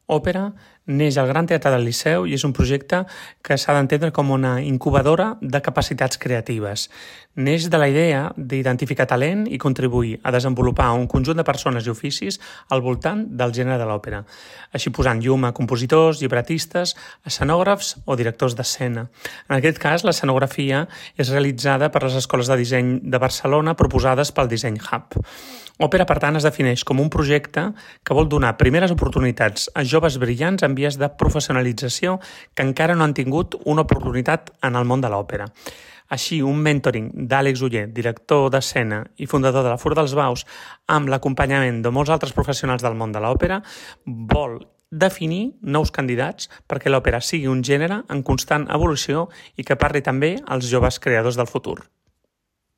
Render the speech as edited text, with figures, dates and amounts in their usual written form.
Òpera neix al Gran Teatre del Liceu i és un projecte que s'ha d'entendre com una incubadora de capacitats creatives. Neix de la idea d'identificar talent i contribuir a desenvolupar un conjunt de persones i oficis al voltant del gènere de l'òpera, així posant llum a compositors, llibretistes, escenògrafs o directors d'escena. En aquest cas, l'escenografia és realitzada per les escoles de disseny de Barcelona proposades pel Design Hub. Òpera, per tant, es defineix com un projecte que vol donar primeres oportunitats a joves brillants en vies de professionalització que encara no han tingut una oportunitat en el món de l'òpera. Així, un mentoring d'Àlex Oller, director d'escena i fundador de la Fura dels Baus, amb l'acompanyament de molts altres professionals del món de l'òpera, vol definir nous candidats perquè l'òpera sigui un gènere en constant evolució i que parli també als joves creadors del futur.